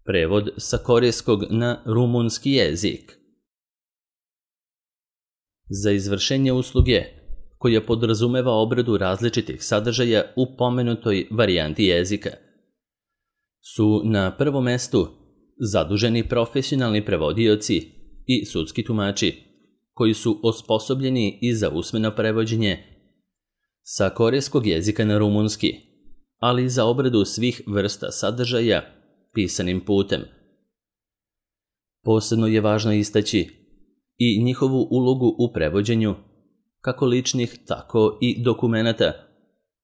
Prevod sa korejskog na rumunski jezik. Za izvršenje usluge, koja podrazumeva obradu različitih sadržaja u pomenutoj varijanti jezika, su na prvom mestu zaduženi profesionalni prevodioci i sudski tumači, koji su osposobljeni i za usmeno prevođenje sa korejskog jezika na rumunski, ali i za obradu svih vrsta sadržaja pisanim putem. Posebno je važno istaći i njihovu ulogu u prevođenju, kako ličnih, tako i dokumenata,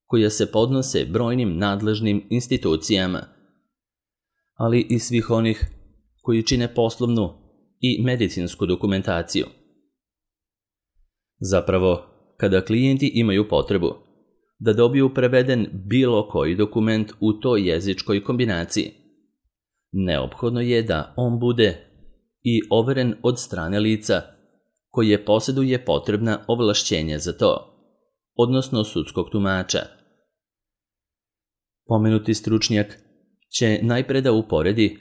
koja se podnose brojnim nadležnim institucijama, ali i svih onih koji čine poslovnu i medicinsku dokumentaciju. Zapravo, kada klijenti imaju potrebu da dobiju preveden bilo koji dokument u toj jezičkoj kombinaciji, neophodno je da on bude i overen od strane lica koje posjeduje potrebna ovlašćenja za to, odnosno sudskog tumača. Pomenuti stručnjak će najpre da uporedi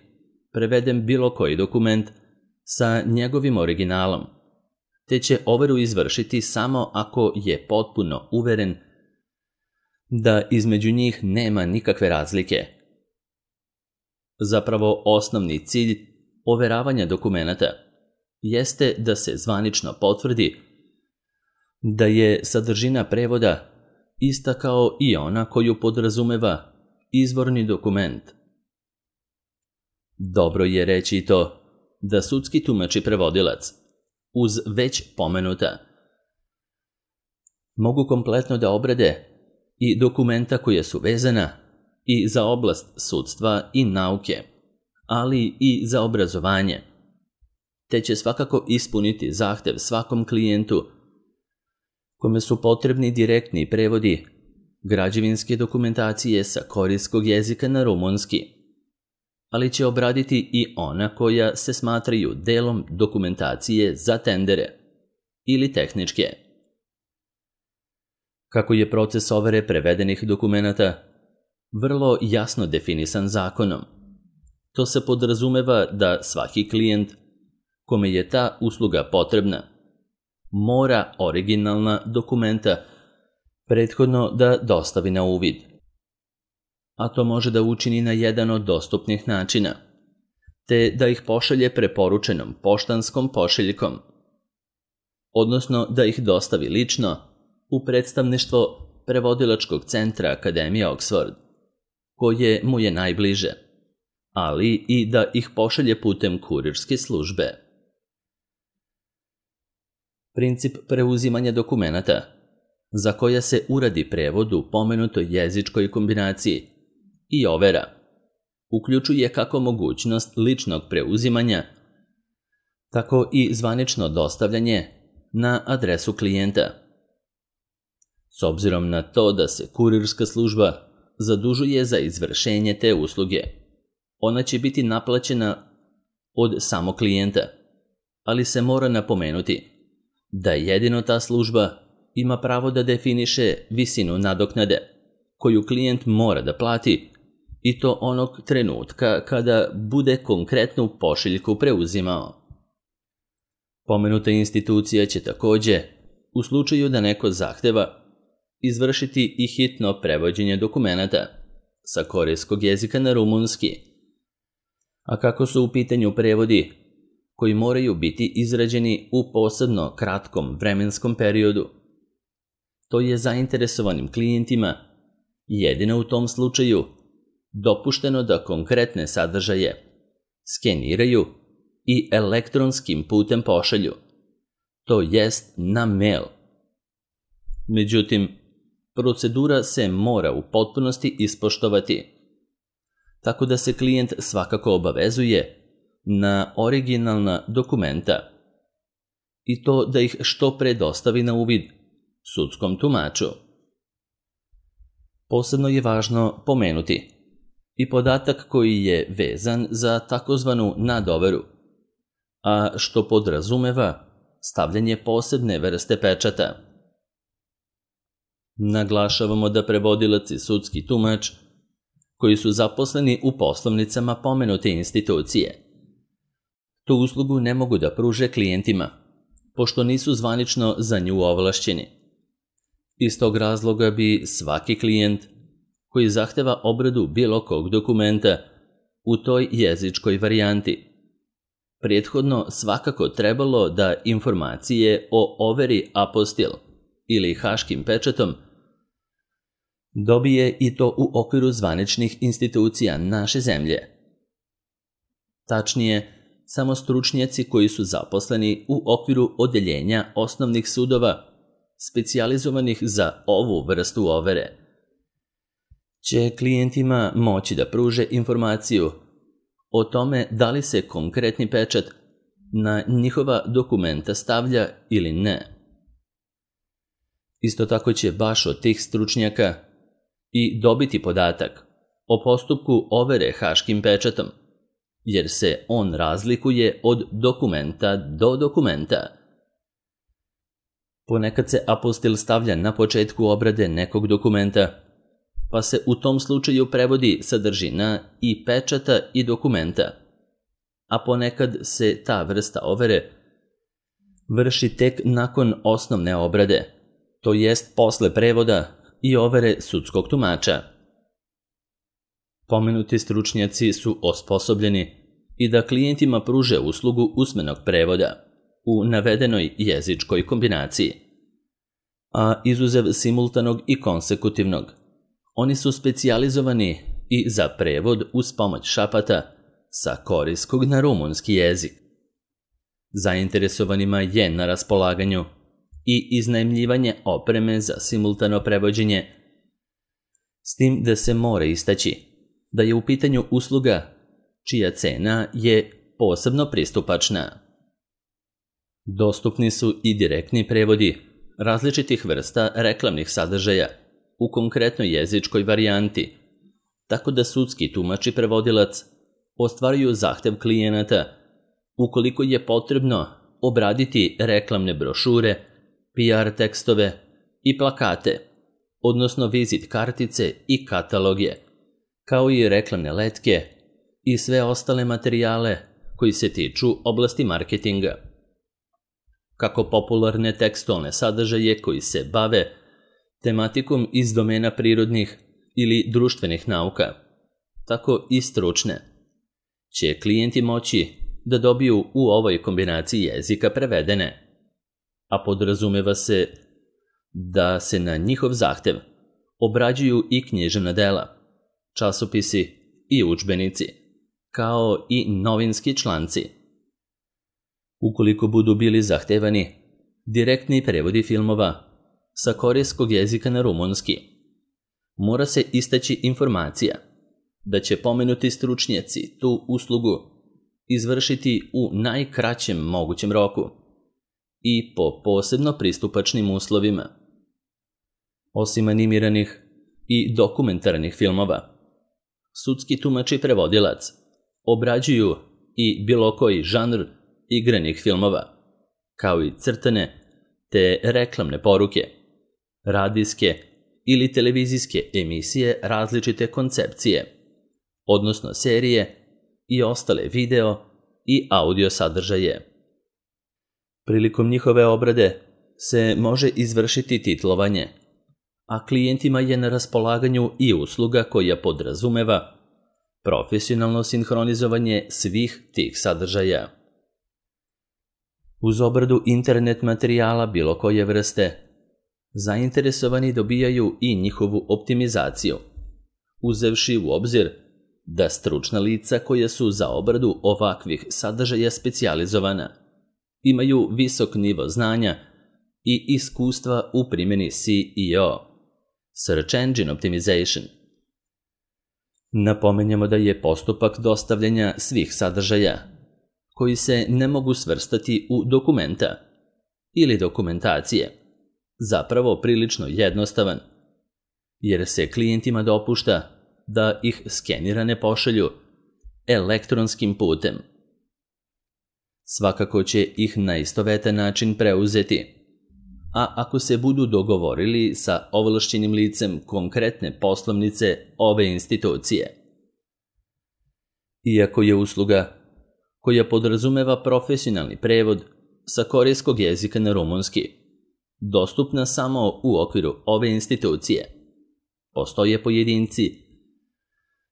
preveden bilo koji dokument sa njegovim originalom, te će overu izvršiti samo ako je potpuno uveren da između njih nema nikakve razlike. Zapravo, osnovni cilj overavanja dokumenata jeste da se zvanično potvrdi da je sadržina prevoda ista kao i ona koju podrazumeva izvorni dokument. Dobro je reći i to da sudski tumač i prevodilac, uz već pomenuta, mogu kompletno da obrade i dokumenta koja su vezana i za oblast sudstva i nauke, ali i za obrazovanje, te će svakako ispuniti zahtev svakom klijentu kome su potrebni direktni prevodi građevinske dokumentacije sa korejskog jezika na rumunski, ali će obraditi i ona koja se smatraju delom dokumentacije za tendere ili tehničke. Kako je proces overe prevedenih dokumenata vrlo jasno definisan zakonom, to se podrazumeva da svaki klijent kome je ta usluga potrebna mora originalna dokumenta prethodno da dostavi na uvid, a to može da učini na jedan od dostupnih načina, te da ih pošalje preporučenom poštanskom pošiljkom, odnosno da ih dostavi lično u predstavništvo prevodilačkog centra Akademije Oxford, koje mu je najbliže, ali i da ih pošalje putem kurirske službe. Princip preuzimanja dokumenata, za koja se uradi prevod u pomenutoj jezičkoj kombinaciji i overa, uključuje kako mogućnost ličnog preuzimanja, tako i zvanično dostavljanje na adresu klijenta. S obzirom na to da se kurirska služba zadužuje za izvršenje te usluge, ona će biti naplaćena od samog klijenta, ali se mora napomenuti da jedino ta služba ima pravo da definiše visinu nadoknade koju klijent mora da plati, i to onog trenutka kada bude konkretnu pošiljku preuzimao. Pomenuta institucija će takođe, u slučaju da neko zahteva, izvršiti i hitno prevođenje dokumenata sa korejskog jezika na rumunski, a kako su u pitanju prevodi koji moraju biti izrađeni u posebno kratkom vremenskom periodu, to je zainteresovanim klijentima jedino u tom slučaju dopušteno da konkretne sadržaje skeniraju i elektronskim putem pošalju, to jest na mail. Međutim, procedura se mora u potpunosti ispoštovati, tako da se klijent svakako obavezuje na originalna dokumenta i to da ih što pre dostavi na uvid sudskom tumaču. Posebno je važno pomenuti i podatak koji je vezan za takozvanu nadoveru, a što podrazumeva stavljanje posebne vrste pečata. Naglašavamo da prevodilac i sudski tumač koji su zaposleni u poslovnicama pomenute institucije. Tu uslugu ne mogu da pruže klijentima, pošto nisu zvanično za nju ovlašćeni. Iz tog razloga bi svaki klijent koji zahteva obradu bilo kog dokumenta u toj jezičkoj varijanti prethodno svakako trebalo da informacije o overi apostil ili haškim pečatom dobije i to u okviru zvaničnih institucija naše zemlje. Tačnije, samo stručnjaci koji su zaposleni u okviru odeljenja osnovnih sudova specijalizovanih za ovu vrstu overe će klijentima moći da pruže informaciju o tome da li se konkretni pečat na njihova dokumenta stavlja ili ne. Isto tako će baš od tih stručnjaka i dobiti podatak o postupku overe haškim pečatom, jer se on razlikuje od dokumenta do dokumenta. Ponekad se apostil stavlja na početku obrade nekog dokumenta, pa se u tom slučaju prevodi sadržina i pečata i dokumenta, a ponekad se ta vrsta overe vrši tek nakon osnovne obrade, to jest posle prevoda i overe sudskog tumača. Pomenuti stručnjaci su osposobljeni i da klijentima pruže uslugu usmenog prevoda u navedenoj jezičkoj kombinaciji, a izuzev simultanog i konsekutivnog, oni su specijalizovani i za prevod uz pomoć šapata sa korejskog na rumunski jezik. Zainteresovanima je na raspolaganju i iznajmljivanje opreme za simultano prevođenje, s tim da se mora istaći da je u pitanju usluga čija cena je posebno pristupačna. Dostupni su i direktni prevodi različitih vrsta reklamnih sadržaja u konkretnoj jezičkoj varijanti, tako da sudski tumač i prevodilac ostvaruju zahtev klijenata ukoliko je potrebno obraditi reklamne brošure, PR tekstove i plakate, odnosno vizit kartice i kataloge, kao i reklamne letke i sve ostale materijale koji se tiču oblasti marketinga. Kako popularne tekstualne sadržaje koji se bave tematikom iz domena prirodnih ili društvenih nauka, tako i stručne, će klijenti moći da dobiju u ovoj kombinaciji jezika prevedene, a podrazumeva se da se na njihov zahtev obrađuju i književna dela, časopisi i udžbenici, kao i novinski članci. Ukoliko budu bili zahtevani direktni prevodi filmova sa korejskog jezika na rumunski, mora se istaći informacija da će pomenuti stručnjaci tu uslugu izvršiti u najkraćem mogućem roku i po posebno pristupačnim uslovima. Osim animiranih i dokumentarnih filmova, sudski tumač i prevodilac obrađuju i bilo koji žanr igranih filmova, kao i crtane te reklamne poruke, radijske ili televizijske emisije različite koncepcije, odnosno serije i ostale video i audio sadržaje. Prilikom njihove obrade se može izvršiti titlovanje, a klijentima je na raspolaganju i usluga koja podrazumeva profesionalno sinhronizovanje svih tih sadržaja. Uz obradu internet materijala bilo koje vrste, zainteresovani dobijaju i njihovu optimizaciju, uzevši u obzir da stručna lica koja su za obradu ovakvih sadržaja specijalizovana imaju visok nivo znanja i iskustva u primjeni SEO, Search Engine Optimization. Napomenjamo da je postupak dostavljanja svih sadržaja koji se ne mogu svrstati u dokumenta ili dokumentacije zapravo prilično jednostavan, jer se klijentima dopušta da ih skenirane pošalju elektronskim putem. Svakako će ih na istovetan način preuzeti a ako se budu dogovorili sa ovlašćenim licem konkretne poslovnice ove institucije. Iako je usluga koja podrazumeva profesionalni prevod sa korejskog jezika na rumunski dostupna samo u okviru ove institucije, postoje pojedinci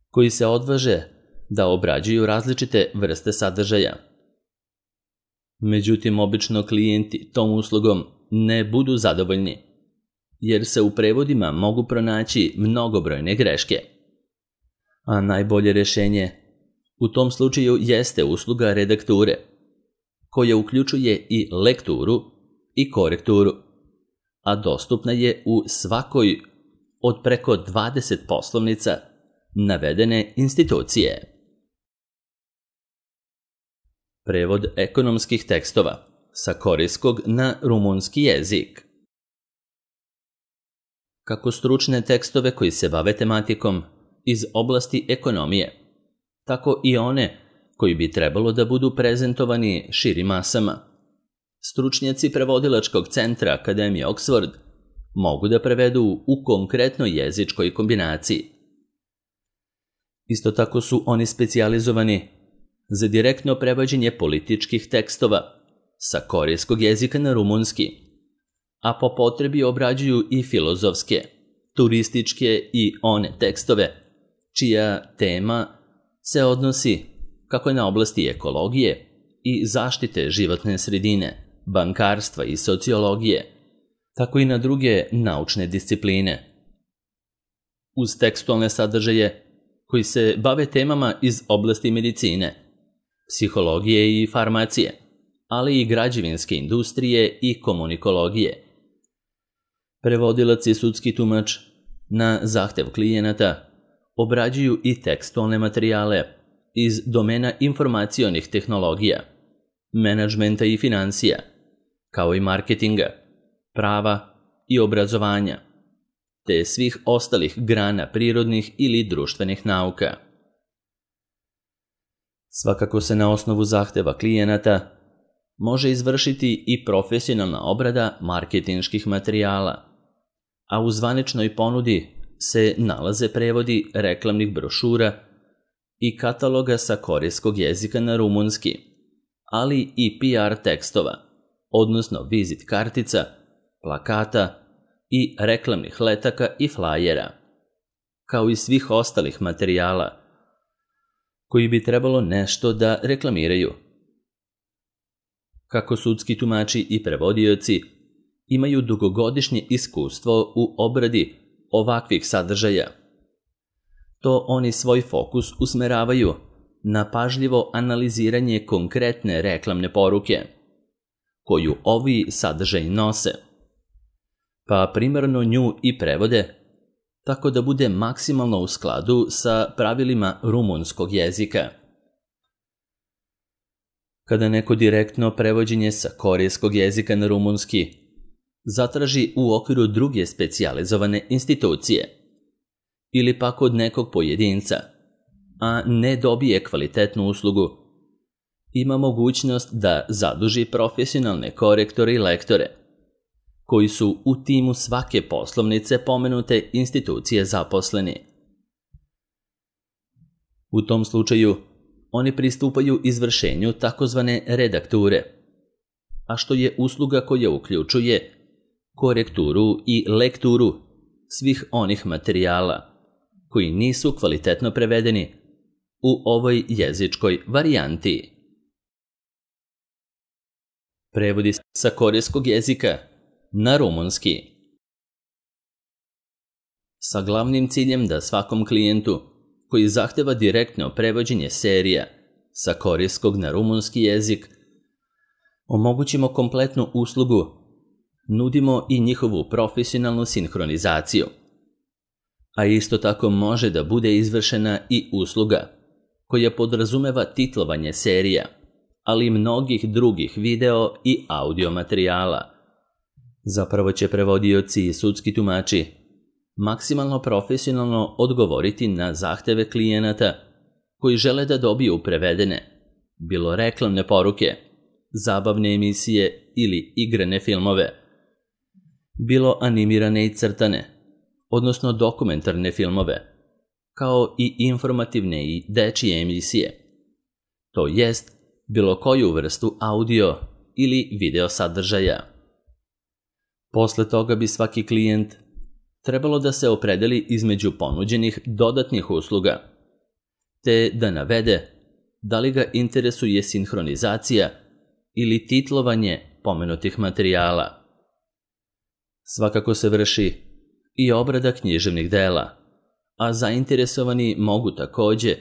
koji se odvaže da obrađuju različite vrste sadržaja. Međutim, obično klijenti tom uslugom ne budu zadovoljni, jer se u prevodima mogu pronaći mnogobrojne greške. A najbolje rješenje u tom slučaju jeste usluga redakture, koja uključuje i lekturu i korekturu, a dostupna je u svakoj od preko 20 poslovnica navedene institucije. Prevod ekonomskih tekstova sa korejskog na rumunski jezik. Kako stručne tekstove koji se bave tematikom iz oblasti ekonomije, tako i one koji bi trebalo da budu prezentovani širim masama. Stručnjaci prevodilačkog centra Akademije Oxford mogu da prevedu u konkretnoj jezičkoj kombinaciji. Isto tako su oni specijalizovani za direktno prevođenje političkih tekstova sa korejskog jezika na rumunski, a po potrebi obrađuju i filozofske, turističke i one tekstove, čija tema se odnosi kako na oblasti ekologije i zaštite životne sredine, bankarstva i sociologije, tako i na druge naučne discipline. Uz tekstualne sadržaje koji se bave temama iz oblasti medicine, psihologije i farmacije, ali i građevinske industrije i komunikologije. Prevodilac i sudski tumač na zahtev klijenata obrađuju i tekstualne materijale iz domena informacionih tehnologija, menadžmenta i financija, kao i marketinga, prava i obrazovanja, te svih ostalih grana prirodnih ili društvenih nauka. Svakako se na osnovu zahteva klijenata može izvršiti i profesionalna obrada marketinških materijala, a u zvaničnoj ponudi se nalaze prevodi reklamnih brošura i kataloga sa korejskog jezika na rumunski, ali i PR tekstova, odnosno vizit kartica, plakata i reklamnih letaka i flajera, kao i svih ostalih materijala koji bi trebalo nešto da reklamiraju. Kako sudski tumači i prevodioci imaju dugogodišnje iskustvo u obradi ovakvih sadržaja, to oni svoj fokus usmeravaju na pažljivo analiziranje konkretne reklamne poruke, koju ovi sadržaji nose, pa primarno nju i prevode tako da bude maksimalno u skladu sa pravilima rumunskog jezika. Kada neko direktno prevođenje sa korejskog jezika na rumunski zatraži u okviru druge specijalizovane institucije ili pak od nekog pojedinca, a ne dobije kvalitetnu uslugu, ima mogućnost da zaduži profesionalne korektore i lektore, koji su u timu svake poslovnice pomenute institucije zaposleni. U tom slučaju, oni pristupaju izvršenju takozvane redakture, a što je usluga koja uključuje korekturu i lekturu svih onih materijala koji nisu kvalitetno prevedeni u ovoj jezičkoj varijanti. Prevodi sa korejskog jezika na rumunski. Sa glavnim ciljem da svakom klijentu koji zahteva direktno prevođenje serija sa korejskog na rumunski jezik omogućimo kompletnu uslugu, nudimo i njihovu profesionalnu sinhronizaciju. A isto tako može da bude izvršena i usluga koja podrazumeva titlovanje serija, ali i mnogih drugih video i audio materijala. Zapravo će prevodioci i sudski tumači maksimalno profesionalno odgovoriti na zahteve klijenata koji žele da dobiju prevedene, bilo reklamne poruke, zabavne emisije ili igrane filmove, bilo animirane i crtane, odnosno dokumentarne filmove, kao i informativne i dečije emisije, to jest bilo koju vrstu audio ili video sadržaja. Posle toga bi svaki klijent trebalo da se opredeli između ponuđenih dodatnih usluga, te da navede da li ga interesuje sinhronizacija ili titlovanje pomenutih materijala. Svakako se vrši i obrada književnih dela, a zainteresovani mogu takođe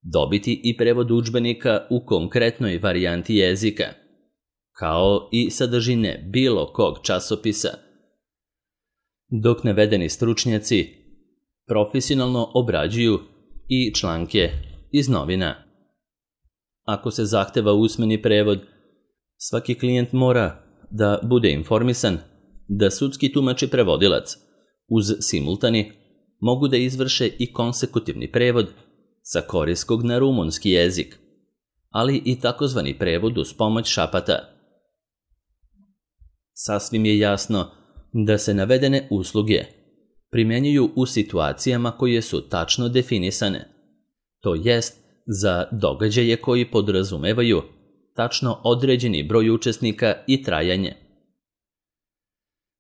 dobiti i prevod udžbenika u konkretnoj varijanti jezika, kao i sadržine bilo kog časopisa, dok navedeni stručnjaci profesionalno obrađuju i članke iz novina. Ako se zahteva usmeni prevod, svaki klijent mora da bude informisan da sudski tumač i prevodilac uz simultani mogu da izvrše i konsekutivni prevod sa korejskog na rumunski jezik, ali i takozvani prevod uz pomoć šapata. Sasvim je jasno da se navedene usluge primenjuju u situacijama koje su tačno definisane, to jest za događaje koji podrazumevaju tačno određeni broj učesnika i trajanje.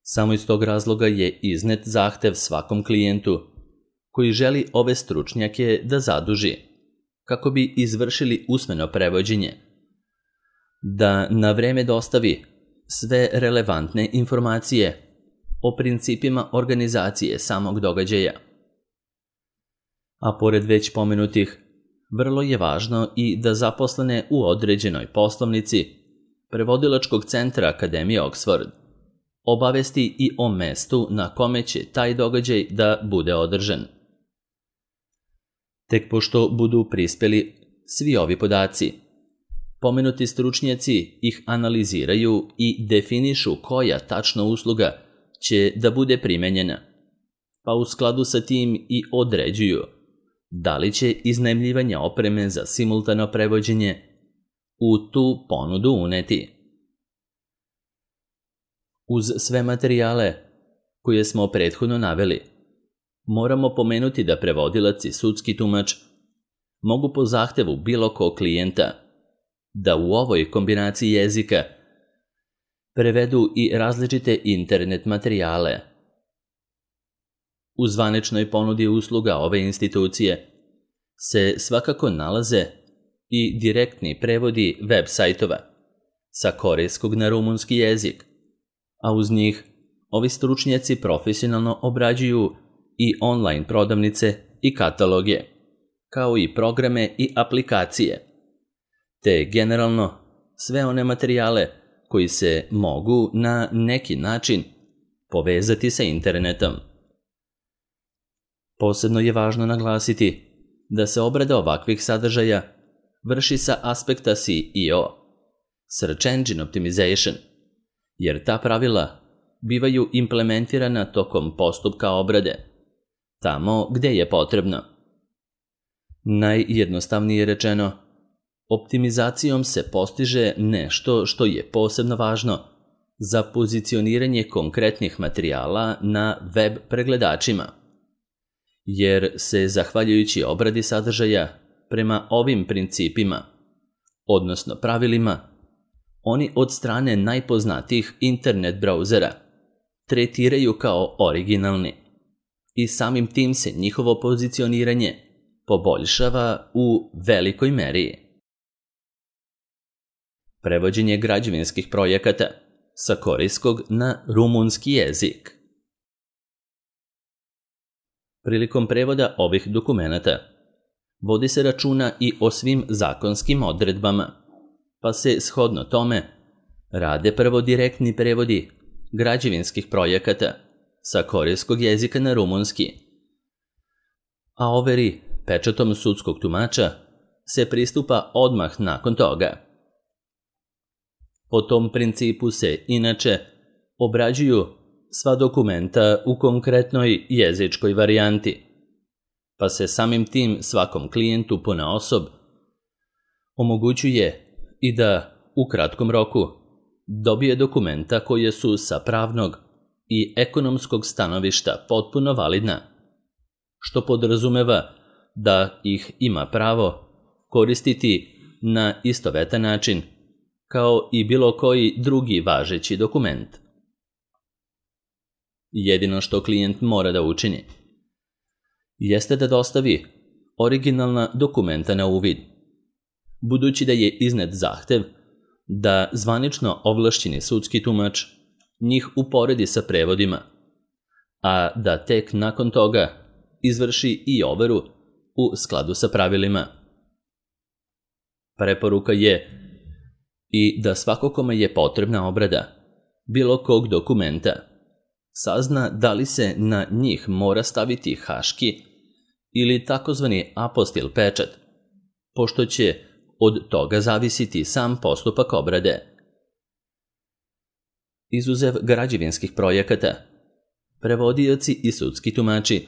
Samo iz tog razloga je iznet zahtev svakom klijentu koji želi ove stručnjake da zaduži, kako bi izvršili usmeno prevođenje, da na vreme dostavi sve relevantne informacije o principima organizacije samog događaja. A pored već pomenutih, vrlo je važno i da zaposlene u određenoj poslovnici prevodilačkog centra Akademije Oxford obavesti i o mestu na kome će taj događaj da bude održan. Tek pošto budu prispeli svi ovi podaci, pomenuti stručnjaci ih analiziraju i definišu koja tačna usluga će da bude primenjena, pa u skladu sa tim i određuju da li će iznajmljivanje opreme za simultano prevođenje u tu ponudu uneti. Uz sve materijale koje smo prethodno naveli, moramo pomenuti da prevodilac i sudski tumač mogu po zahtevu bilo kog klijenta da u ovoj kombinaciji jezika prevedu i različite internet materijale. U zvaničnoj ponudi usluga ove institucije se svakako nalaze i direktni prevodi web sajtova sa korejskog na rumunski jezik, a uz njih ovi stručnjaci profesionalno obrađuju i online prodavnice i kataloge, kao i programe i aplikacije, te generalno sve one materijale koji se mogu na neki način povezati sa internetom. Posebno je važno naglasiti da se obrada ovakvih sadržaja vrši sa aspekta SEO, Search Engine Optimization, jer ta pravila bivaju implementirana tokom postupka obrade, tamo gde je potrebno. Najjednostavnije rečeno, optimizacijom se postiže nešto što je posebno važno za pozicioniranje konkretnih materijala na web pregledačima, jer se zahvaljujući obradi sadržaja prema ovim principima, odnosno pravilima, oni od strane najpoznatijih internet brauzera tretiraju kao originalni i samim tim se njihovo pozicioniranje poboljšava u velikoj meri. Prevođenje građevinskih projekata sa korejskog na rumunski jezik. Prilikom prevoda ovih dokumenata vodi se računa i o svim zakonskim odredbama, pa se shodno tome rade prvo direktni prevodi građevinskih projekata sa korejskog jezika na rumunski, a overi pečatom sudskog tumača se pristupa odmah nakon toga. Po tom principu se, inače, obrađuju sva dokumenta u konkretnoj jezičkoj varijanti, pa se samim tim svakom klijentu ponaosob omogućuje i da u kratkom roku dobije dokumenta koje su sa pravnog i ekonomskog stanovišta potpuno validna, što podrazumeva da ih ima pravo koristiti na istovetan način kao i bilo koji drugi važeći dokument. Jedino što klijent mora da učini jeste da dostavi originalna dokumenta na uvid, budući da je iznet zahtev da zvanično ovlašćeni sudski tumač njih uporedi sa prevodima, a da tek nakon toga izvrši i overu u skladu sa pravilima. Preporuka je i da svako kome je potrebna obrada bilo kog dokumenta sazna da li se na njih mora staviti haški ili takozvani apostil pečat, pošto će od toga zavisiti sam postupak obrade. Izuzev građevinskih projekata, prevodioci i sudski tumači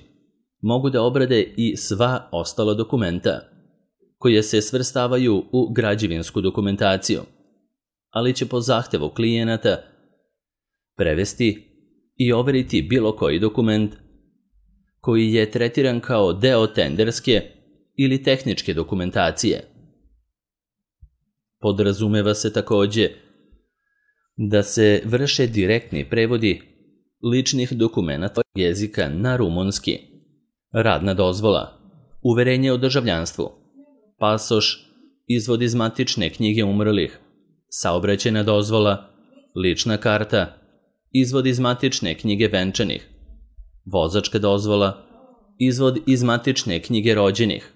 mogu da obrade i sva ostala dokumenta koje se svrstavaju u građevinsku dokumentaciju, ali će po zahtevu klijenata prevesti i overiti bilo koji dokument koji je tretiran kao deo tenderske ili tehničke dokumentacije. Podrazumeva se takođe da se vrše direktni prevodi ličnih dokumenata jezika na rumunski, radna dozvola, uverenje o državljanstvu, pasoš, izvod iz matične knjige umrlih, saobraćajna dozvola, lična karta, izvod iz matične knjige venčanih, vozačka dozvola, izvod iz matične knjige rođenih,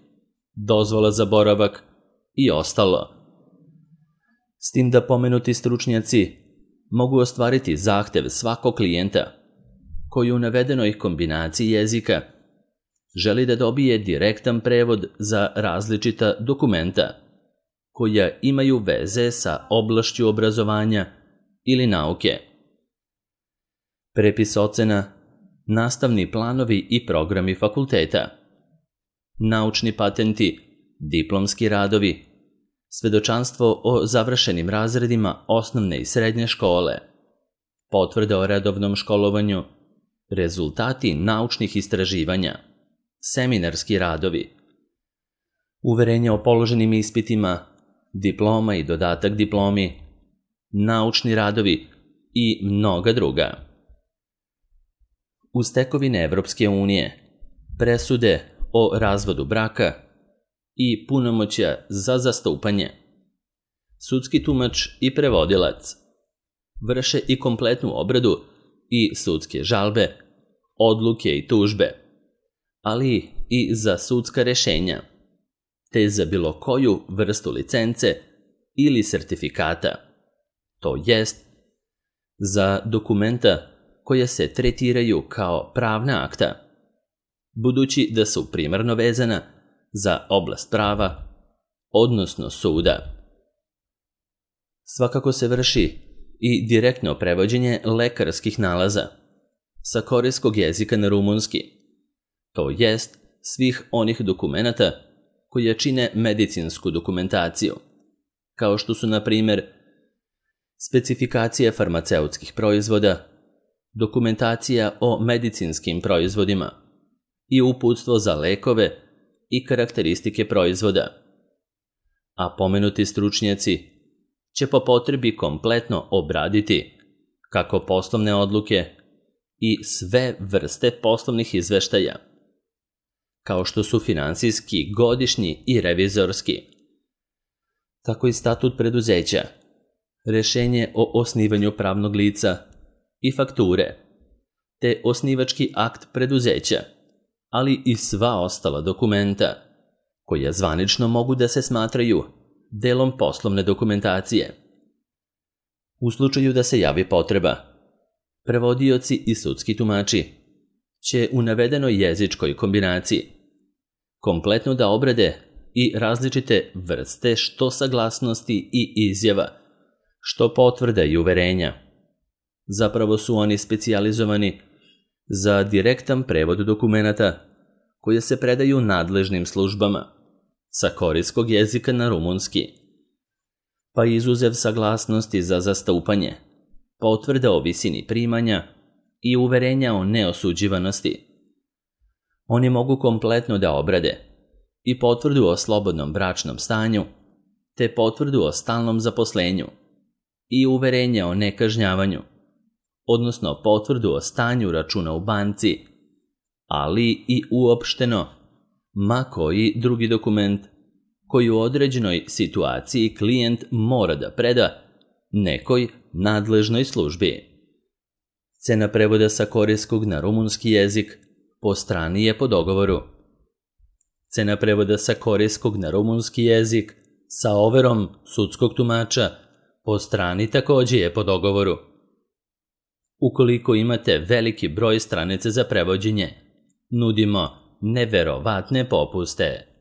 dozvola za boravak i ostalo. S tim da pomenuti stručnjaci mogu ostvariti zahtev svakog klijenta koji u navedenoj kombinaciji jezika želi da dobije direktan prevod za različita dokumenta koja imaju veze sa oblašću obrazovanja ili nauke. Prepis ocena, nastavni planovi i programi fakulteta, naučni patenti, diplomski radovi, svedočanstvo o završenim razredima osnovne i srednje škole, potvrde o redovnom školovanju, rezultati naučnih istraživanja, seminarski radovi, uverenje o položenim ispitima, diploma i dodatak diplomi, naučni radovi i mnoga druga. Uz tekovine Evropske unije, presude o razvodu braka i punomoćja za zastupanje, sudski tumač i prevodilac vrše i kompletnu obradu i sudske žalbe, odluke i tužbe, ali i za sudska rešenja, te za bilo koju vrstu licence ili sertifikata, to jest za dokumenta koja se tretiraju kao pravna akta, budući da su primarno vezana za oblast prava, odnosno suda. Svakako se vrši i direktno prevođenje lekarskih nalaza sa korejskog jezika na rumunski, to jest svih onih dokumenata koje čine medicinsku dokumentaciju, kao što su, na primjer, specifikacije farmaceutskih proizvoda, dokumentacija o medicinskim proizvodima i uputstvo za lekove i karakteristike proizvoda. A pomenuti stručnjaci će po potrebi kompletno obraditi kako poslovne odluke i sve vrste poslovnih izveštaja, kao što su finansijski, godišnji i revizorski, tako i statut preduzeća, rešenje o osnivanju pravnog lica i fakture, te osnivački akt preduzeća, ali i sva ostala dokumenta koja zvanično mogu da se smatraju delom poslovne dokumentacije. U slučaju da se javi potreba, prevodioci i sudski tumači će u navedenoj jezičkoj kombinaciji kompletno da obrade i različite vrste što saglasnosti i izjava, što potvrda i uverenja. Zapravo su oni specijalizovani za direktan prevod dokumenata koje se predaju nadležnim službama sa korejskog jezika na rumunski, pa izuzev saglasnosti za zastupanje, potvrda o visini primanja i uverenja o neosuđivanosti. Oni mogu kompletno da obrade i potvrdu o slobodnom bračnom stanju, te potvrdu o stalnom zaposlenju i uverenja o nekažnjavanju, odnosno potvrdu o stanju računa u banci, ali i uopšteno ma koji drugi dokument koji u određenoj situaciji klijent mora da preda nekoj nadležnoj službi. Cena prevoda sa korejskog na rumunski jezik po strani je po dogovoru. Cena prevoda sa korejskog na rumunski jezik sa overom sudskog tumača po strani takođe je po dogovoru. Ukoliko imate veliki broj stranica za prevođenje, nudimo neverovatne popuste.